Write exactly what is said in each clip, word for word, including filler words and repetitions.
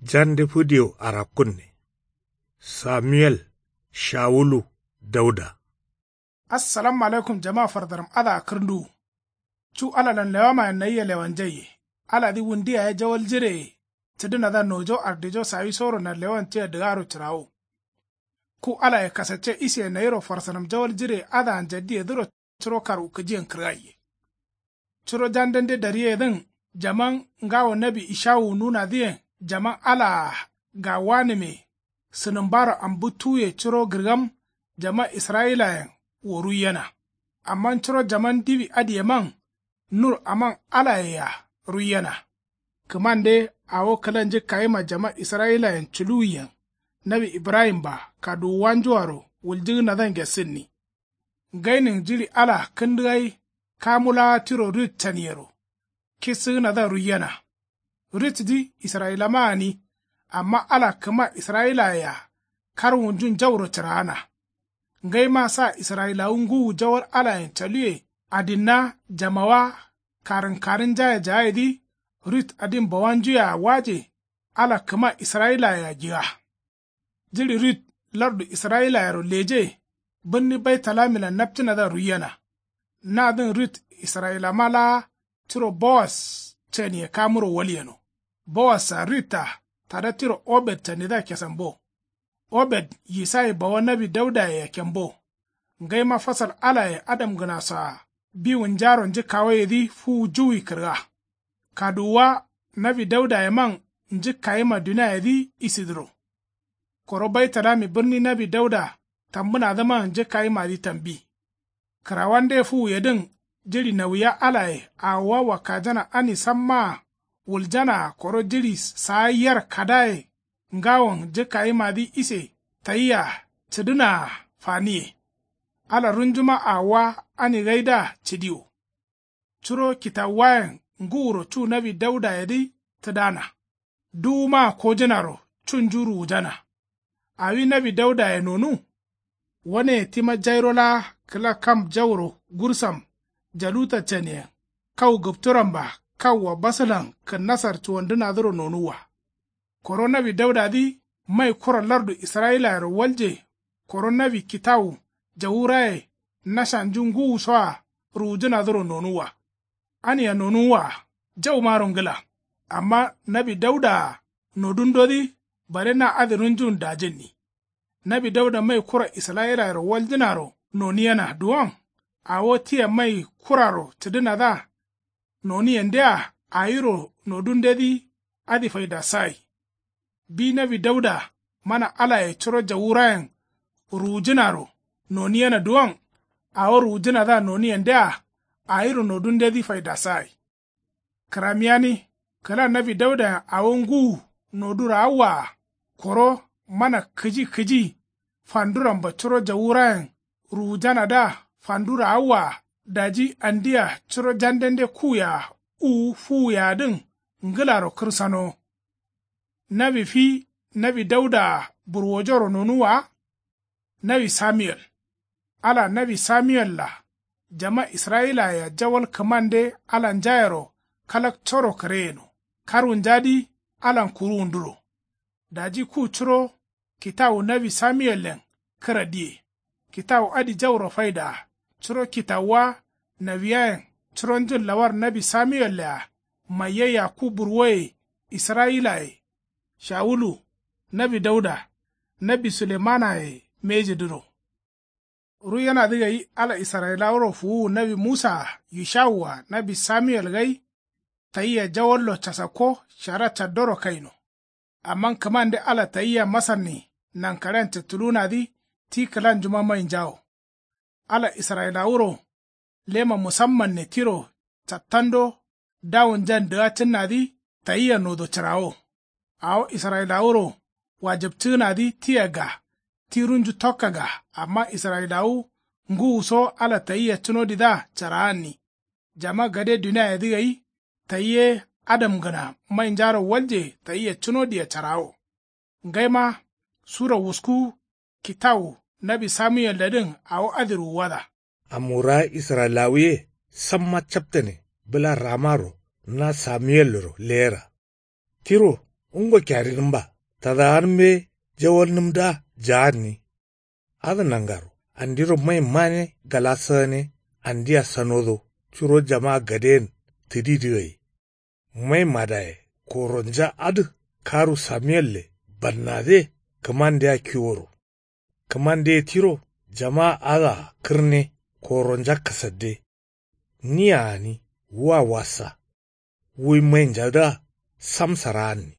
Jande fǝdiyo arakkunne. Samuel. Shawulu. Dauda. Assalamu alaikum jama fardaram adǝa kǝrnduwu. Cu alalan lewamayen nayia lewanjaiye. Aladǝ wundu yaye jawal jireye. Cǝdǝnadǝa nojo ardijo sawisoro nanlewan tia dǝgaro cǝrawo. Ku alaye kasacce isiye nayiro farsanam jawal jireye adǝa njaddiyedǝro. Curo karwukǝjiyen kǝrgaiye. Curo jandende dariyeyedǝn jaman ngawo nawi ishawu nunadǝyen jaman alaa gawanǝme. Sǝnǝmbaro ambǝttuwuye curo gǝrgam jaman israyilayen wo ruiyena. Amma curo jaman diwi adǝyeman nur aman alayea ruiyena. Kǝmande awo kǝla njǝkkayima jaman israyilayen culuwiyen nawi ibrahim-a kaduwuwanjuaro wuljǝgǝnadǝa ngesǝnni. Ngainin jiɍi ala kǝndǝgai kamu laa tiro rit caniyero. Kissǝgǝnadǝa ruiyena. Ritdǝ israyilama gǝni. Amma ala kǝma israyilayea karwunjun jauro cǝraana. Ngaima sa israyilawu ngǝwu jawal alayen caluwe adinna jamawa karǝnkarǝnjaye jaayedǝ. Rit adin bawanjuyea waje ala kǝma israyilayea giga. Jiɍi rit lardu israyilayero leje. Bǝrni baitalamin-a napcǝnadǝa ruiyena. Nadǝn rit israyilama laa curo bowas caniye kamuro walyeno. Bowas-a rit-a tada tiro obed canidǝa kesambo. Obed yisayi bawa nawi daudaye yakkembo. Ngaima fasal alaye adamgǝnaso-a biwunjaro njǝkkawayedǝ fuwu juwi kǝrga. Kaduwuwa nawi daudayeman njǝkkayima duniayedǝ isidǝro. Koro baitalami bǝrni nawi dauda tambǝnadǝman njǝkkayimadǝ tambi. Kǝrawande fuwuyedǝn jiɍi nawiya alaye awowa wakkajana ani sammaa wuljanaa koro jiɍi saa yar kadaye ngawon njǝkkayimadǝ ise tayia cǝdǝnaa faniye. Ala runjuma awowa ani gaidǝa cǝdiwo. Curo kitawuwayen ngǝwuro cu nawi daudayedǝ tǝdana. Duwumaa kojǝnaro cunju ruwujana. Awi nawi daudaye nonu. Waneye tima jairo laa kǝla kam jauro gursam jaluta caniyen kau gǝpturamba kaua basǝlan kǝnnasar cuwandǝnadǝro nonuwwa. Koro nawi daudadǝ mai kura lardu israyilayero walje. Koro nawi kitawu jawuraye nashanju ngǝwusoa ruwujǝnadǝro nonuwwa. Ania nonuwwa-a jaumaro ngǝla. Amma nawi dauda-a nodundodǝ bare na adǝ runjun dajǝnni. Nawi dauda mai kura israyilayero waljǝnaro noniyena duwon. Awo tia mai kuraro cǝdǝnadǝa noniyendea awiro nodundedǝ adǝ faidasagai. Bi nawi dauda mana alaye curo jawurayen ruwujǝnaro noniyena duwon. Awo ruwujǝnadǝa noniyendea awiro nodundedǝ faidasagai. Kǝramiyani kǝla nawi daudayen awo ngǝwu nodu raawwa-a koro mana kǝji kǝji fanduramba curo jawurayen ruwujanadǝa fandu raawwa-a daji andia curo jandende kuwuye-a uwu fuwuye-adǝn ngǝlaro kǝrsanowo. Nawi fi nawi dauda-a burwojoro nonuwwa-a. Nawi samiyel. Ala nawi samiyel-a jama israyilayea jawal kǝmande alanjayero kalakcoro kǝreyeno karwunjadǝ alan kuruwunduro. Daji ku curo kitawu nawi samiyellen kǝra diye. Kitawu adǝ jauro faidaa. Curo kitawuwa nawiyayen curonjun lawar nawi samiyelle-a maiyayya ku burwoye israyilaye. Shawulu nawi dauda nawi sulemanaye mbejedǝro. Ruiyenadǝ gai ala israyilawuro fuwuwu nawi musaa yushawua nawi samiyel gai. Tayia jawallo casakko shara caddoro kaino. Amma kǝmande ala tayia masanni nankaɍen cǝttuluwunadǝ ti kǝlanjuma mainjawo. Ala israyilawuro lema musammanne tiro cattando dawunjan dǝgacǝnnadǝ tayia nodo cǝrawo. Awo israyilawuro wajǝpcǝgǝnadǝ tia ga ti runju tokka ga. Amma israyilawu ngǝwuso ala tayia cunodidǝa caraanni. Jama gade duniayedǝ gai tayi ye adamgǝna mainjaro walje tayia cunodiya carawo. Ngaima sura wusku kitawu nawi samuyelledǝn awo adǝ ruwuwada. Amwurawa israyilawuye samma captane bǝla ramaro na samuyellero leyera. Tiro Ngo kyarinǝmba tadawanǝm ye jawalnǝmdǝa jaanni. Adǝ nangaro andiro mai mane gala sǝgane andia sanodo curo jama gadeyen tǝdidǝ gai. Mai madaye koronja adǝ karu samiyelle bannadǝye kǝmandea kiworo. Kǝmandeye tiro jama adǝa kǝrne koronja kasadde. Nia gǝni wua wassa. Wuyi mainjadǝa sam saraanni.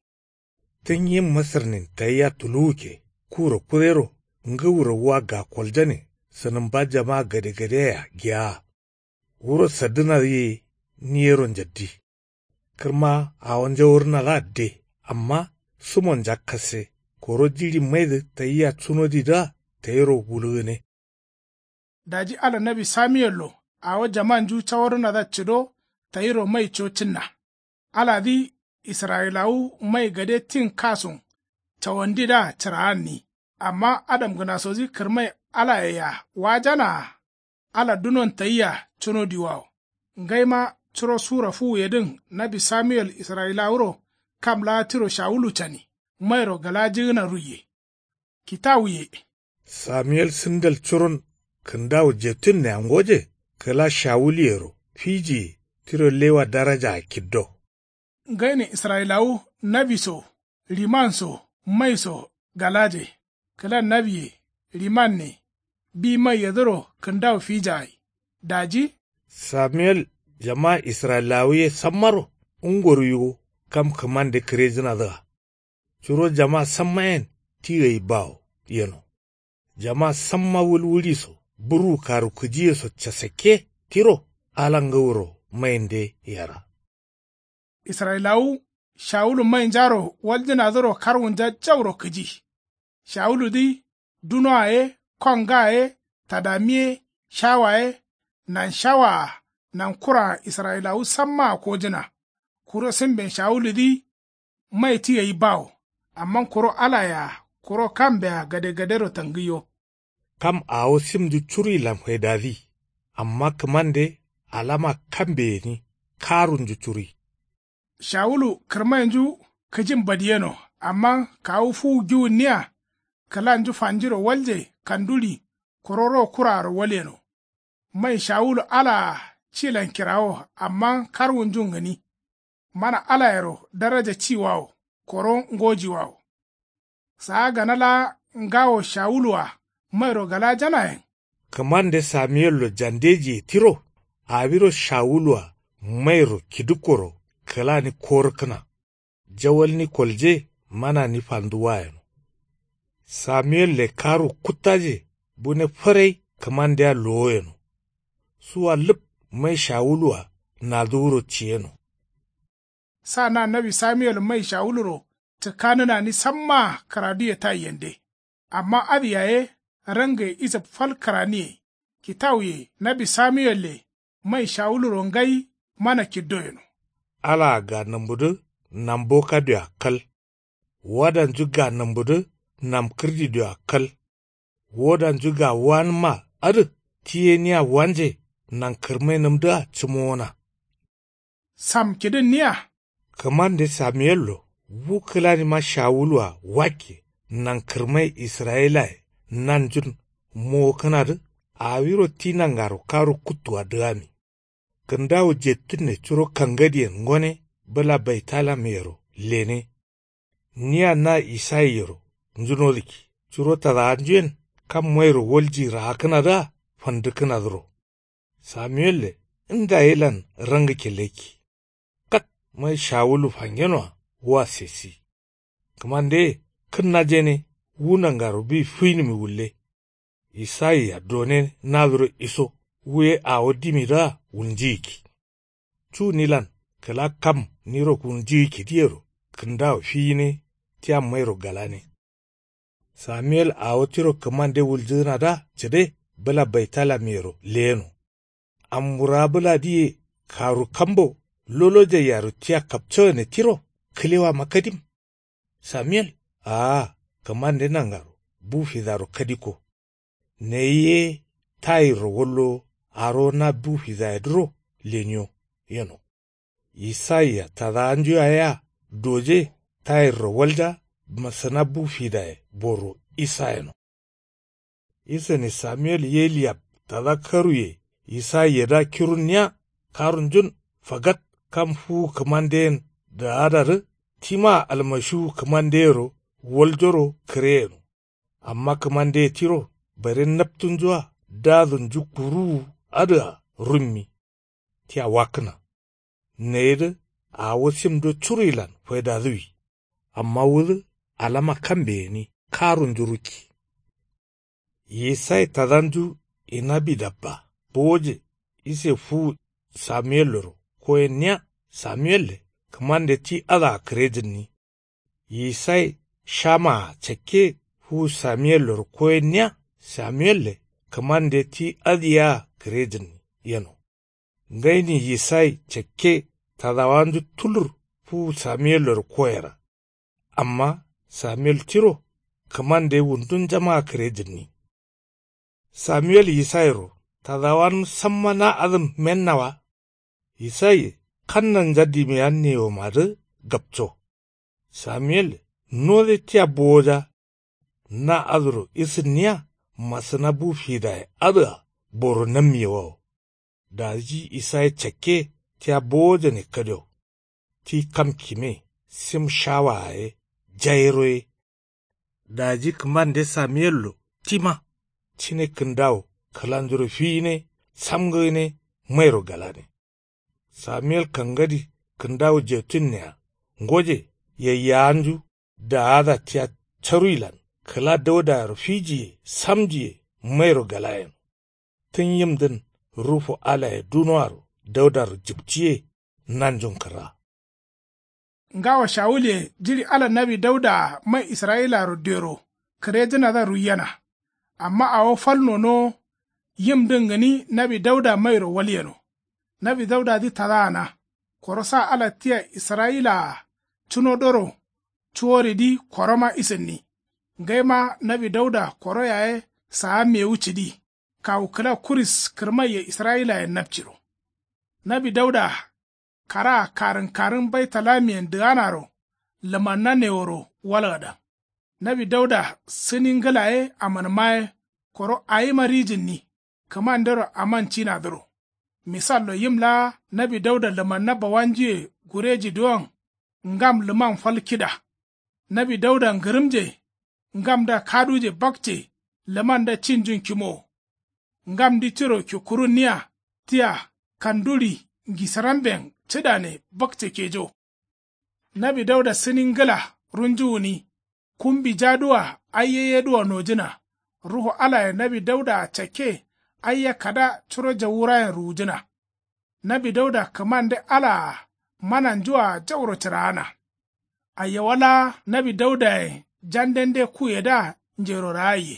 Tǝnyi masǝrnin tayia tuluwukke kuro kudero ngǝwuro wua gakoljane sǝnǝmba jama gadegadeyea geaa. Wuro saddǝnadǝ ye niyero njaddi. Kǝrma awo njawurǝnadǝa de amma sumonja kasse. Koro jiɍi maidǝ tayia cunodidǝa tayiro wulugǝne. Daji ala nawi samiyello awo jamanju cawarǝnadǝa cǝdo tayiro mai co cǝnna. Aladǝ israyilawu mai gade tin kasun cawandidǝa cǝraanni. Amma adamgǝnasodǝ kǝrmai alayea wajanaa. Ala dunon tayia cunodiwawo. Ngaima curo sura fuwuyedǝn nawi samiyel israyilawuro kam laa tiro shawulu cani mairo galajǝgǝna ruiye. Kitawuye. Samiyel sǝndal curon kǝndawu jettunne angoje kǝla shawuluyero fijiye tiro lewa darajaa kiddo. Ngaine israyilawu nawi so riman so mai so galaje. Kǝla nawiye rimanne bi maiyedǝro kǝndawu fijagai. Daji samiyel jama israyilawu ye sammaro ngoro yugo kam kǝmande kǝrejǝnadǝa. Curo jama samma yen ti gai bawo yeno. Jama samma wulwuɍi so burwu karu kǝjiye so casakke tiro ala ngǝwuro mainde yera. Israyilawu shawulu mainjaro waljǝnadǝro karwunja jauro kǝji. Shawuludǝ dunoa ye kongaa ye tadami ye shawa ye nan shawaa nan kuraa israyilawu sammaa kojǝna. Kuro sǝmben shawuludǝ mai ti gai bawo. Amma kuro alayea kuro kambea gadegadero tangǝyo. Kam awo simnju curuilan faidadǝ. Amma kǝmande alama kambe gǝni karunju curui. Shawulu kǝrmainju kǝjin badiyeno amma kawu fuwu giwunniya. Kǝlanju fanjiro walje kanduɍi koro ro kuraaro walyeno. Mai shawulu alaa cilan kirawo amma karwunjun gǝni. Mana alayero daraja ciwawo koro ngojiwawo. Saa gana laa ngawo shawulu-a mairo galajanayen. Kǝmande samiyello jandejiye tiro awiro shawulu-a mairo kidǝkkoro kǝlani korǝkkǝna. Jawalni kolje manani fanduwa yeno. Samiyelle karu kuttaje bune fǝrai kǝmandea lowo yeno. Suwa lǝp mai shawulu-a nadǝwuro ciyeno. Sa na nawi samiyel mai shawuluro cǝkkanǝnani sammaa kǝraduye taiyende. Amma adǝ yaye rangaye isǝb fal kǝraniye. Kitawuye nawi samiyelle mai shawuluro ngai mana kiddo yeno. Alaa ga nambudǝ nambo kadioa kal. Wadanju ga nambudǝ namkǝrdidioa kal. Wodanju ga wanǝmma adǝ ti ye nia wanje nankǝrmainǝmdǝa cǝmowona. Samkidǝnniya. Kǝmande samiyello wu kǝlanima shawulu-a wakke nankǝrmai israyilaye nanjun mowokkǝnadǝ awiro ti nangaro karu kuttua dǝgami. Kǝndawu jettǝnne curo kangadiyen ngone bǝla baitalamyero lene. Nia na isaiyero njunodǝkki curo tadawanjuyen kam mairo walji raakkǝnadǝa fandǝkkǝnadǝro. Samiyelle nda yelan rangǝkke lekki. Kat mai shawulu fangenoa wa sessi. Kǝmandeye kǝnnajene wu nangaro bi fuinǝmi wulle. Isaiya done nadǝro iso wu ye awo dimidǝa wulnjiyikki. Cu nilan kǝla kam niro wulnjiyikki diyero kǝndawo fiyine tia mairo galane. Samiyel awo tiro kǝmande wuljǝgǝnadǝa cǝde bǝla baitalamyero leyeno. Amwurawa bǝladǝ ye karu kambo lolojaiyaru tia kapcogǝne tiro kǝlewama kadim. Samiyel aa kǝmande nangaro bu fidaro kadikko. Neyi ye tayirro wallowo arowo na bu fidayedǝro leniyo yeno. Isaiya tadawanju yayea doje tayirro walja. Masǝna bu fidaye boro isa yeno. Isǝne samuwel yeliyab tada karuye. Yisai yedǝa kirunniya karunjun fagat. Kam fuwu kǝmandeyen dǝ adadǝ tima almashiwu kǝmandeyero waljoro kǝre yeno. Amma kǝmandeye tiro bare naptunjua dadunju kuruwu adǝa rummi. Tia wakkǝna nayidǝ awo simdo curuilan faidadǝwi. Amma wudǝ alama kambe gǝni karunju rukki. Yisai tadanju inabidabba bowoje ise fuwu samuwelloro koyenniya. Samuwelle kǝmande ti adǝa kǝrejǝnni. Yisai shamaa cakke fuwu samuwelloro koyenniya. Samuwelle kǝmande ti adǝ yea kǝrejǝnni yeno. Ngaini yisai cakke tadawanju tulur fuwu samuwelloro koyera. Amma samuwel tiro kǝmande wundunjamaa kǝrejǝnni. Samuwel yisairo tadawanǝm samma na adǝm menna wa. Yisaiye kannanja dimiyannewomadǝ gapco. Samuwel node tia bowoja. Na adǝro isǝnniya masǝna bu fidaye adǝa boro nammiye wawo. Daji isai cakke tia bowojane kadio. Ti kam kime sim shawa ye jairo ye. Daji kǝmande samuwello tima cine kǝndawo kǝlanjuro fiyine samgǝgǝne mairo galane. Samuwel kangadi kǝndawu jetunneya ngoje yayyawanju daada tia caruilan kǝla daudayero fijiye samjiye mairo galayen. Tǝn yimdǝn rufu alaye dunoaro daudaro jipciye nanjun kǝrra. Ngawo shawulye jiɍi ala nawi daudaa mai israyilayero dero kǝrejǝnadǝa ruiyena. Amma awo fal nonowo yimdǝn gǝni nawi dauda mairo walyeno. Nawi daudadǝ tadaana koro sa ala tia israyilaa cunodoro cuworidǝ koroma isǝnni. Ngaima nawi dauda koro yaye saa mewu cǝdi kawu kǝla kuris kǝrmaiye israyilayen napciro. Nawi dauda karaa karǝnkarǝn baitalamiyen dǝganaro lǝmanna neworo walgadan. Nawi dauda sǝni ngǝla ye amanma ye koro awima rijǝnni kǝmandero amancinadǝro. Misallo yim laa nawi dauda lǝmanna bawanjuye gureji duwon ngam lǝman fal kida. Nawi dauda ngǝrǝmje ngamda kaduje bakce lǝmanda cinjun kimowo. Ngamdǝ tiro kikkurunniya tia kanduɍi ngisǝramben cǝdane bakce kejo. Nawi dauda sǝni ngǝla runju gǝni kumbi jadǝwa aiye yedǝwa nojǝna. Ruhu alaye nawi daudaa cakke aiya kada curo jawurayen ruwujǝna. Nawi dauda kǝmande alaa mananjua jauro cǝraana. Ayyawa laa nawi daudayen jandende kuyedǝa njero raaiye.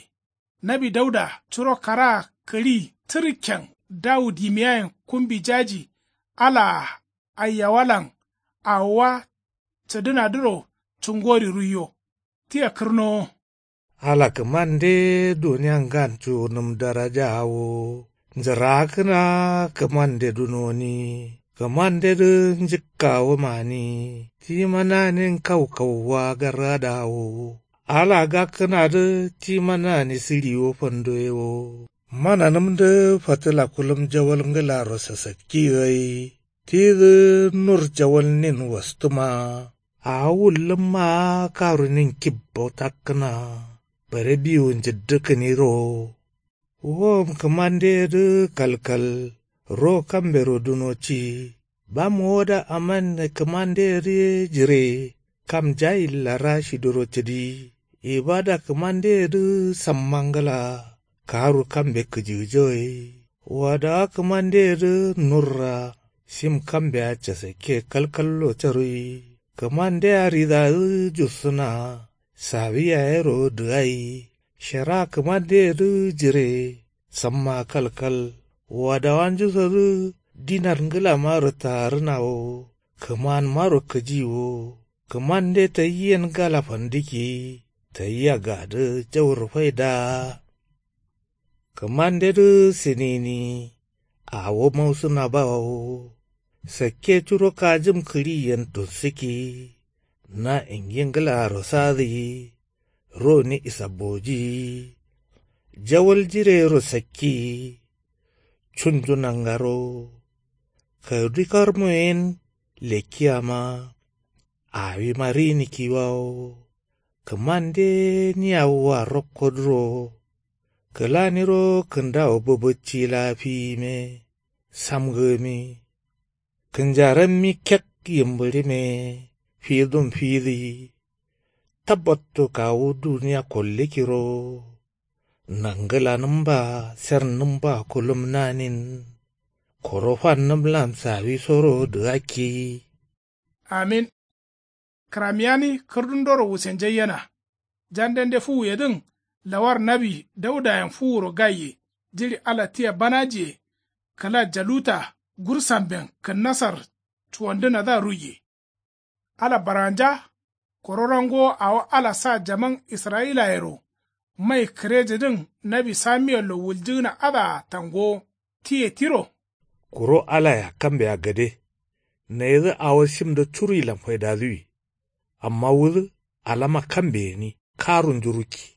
Nawi dauda curo karaa kǝɍi tǝrkken dawu dimiyayen kumbi jaji alaa ayyawalan awowa cǝdǝnadǝro cungori ruiyo. Tia kǝrnowo. Ala kǝmande duniya ngan cuwunǝm darajawo njǝraakǝna. Kǝmande dunoni kǝmandedǝ njǝkkawo mani. Tima nani nkaukauwa gargadawo ala gakkǝnadǝ tima nani sǝɍiwo fandoyewo. Mananǝmdǝ fatǝla kulum jawal ngǝlaro sasakki gai tidǝ nur jawalnin wastǝma. Awo wullǝmma karunin kibbo takkǝna bare biwu njǝddǝkkǝniro. Wom kǝmandeyedǝ kalkal ro kambero duno ci. Bam woda aman kǝmandeyedǝ ye jire kam jayilla rashiduro cǝdi. Ibada kǝmandeyedǝ samma ngǝla karu kambe kǝjǝgǝjo ye. Wadawa kǝmandeyedǝ nurra sim kambea casakke kalkallo carui. Kǝmandea ridadǝ jussǝna sawi yayero dǝgai. Shara kǝmandeyedǝ jire samma kalkal. Wadawanjusodǝ dinar ngǝlama rǝtaarǝnawo. Kǝmanmaro kǝjiwo. Kǝmande tayiyen gala fandǝkki tayia gadǝ jauro faidaa. Kǝmandedǝ sǝnini awo mausǝna bawo. Sakke curo kajǝm kǝɍiyen dunsǝkki. Na ingi ngǝlaaro sadǝ yi. Roni isabboji yi. Jawal jireyero sakki yi. Cunju nangaro. Kǝdi karmu yen. Lekkiyama. Awima rini kiwawo. Kǝmande ni awoa rokko duro. Kǝlaniro kǝndawo bǝbǝcci laa fiyime. Samgǝmi. Kǝnjarammi kek yimbǝɍime. Fidum fidǝ yi. Tabbattu kawu duniya kollikiro. Nangǝlanǝmba sernǝmba kulumnanin. Koro fannǝmlan sawisoro dǝgakki yi. Amin. Kǝramiyani kǝrdundoro wusenjaiyena. Jandende fuwuyedǝn lawar nawi daudayen fuwuro gaiye. Jiɍi ala tia banajiye. Kǝla jaluta gursamben kǝnnasar cuwandǝnadǝa ruiye. Ala baranja. Koro rangowo awo ala sa jaman israyilayero. Mai kǝrejidǝn nawi samiyello wuljǝgǝna adǝa tangowo. Tiye tiro. Kuro alayea kambea gade. Nayidǝ awo shimdǝ curuilan faidadǝwi. Amma wudǝ alama kambe gǝni karunju rukki.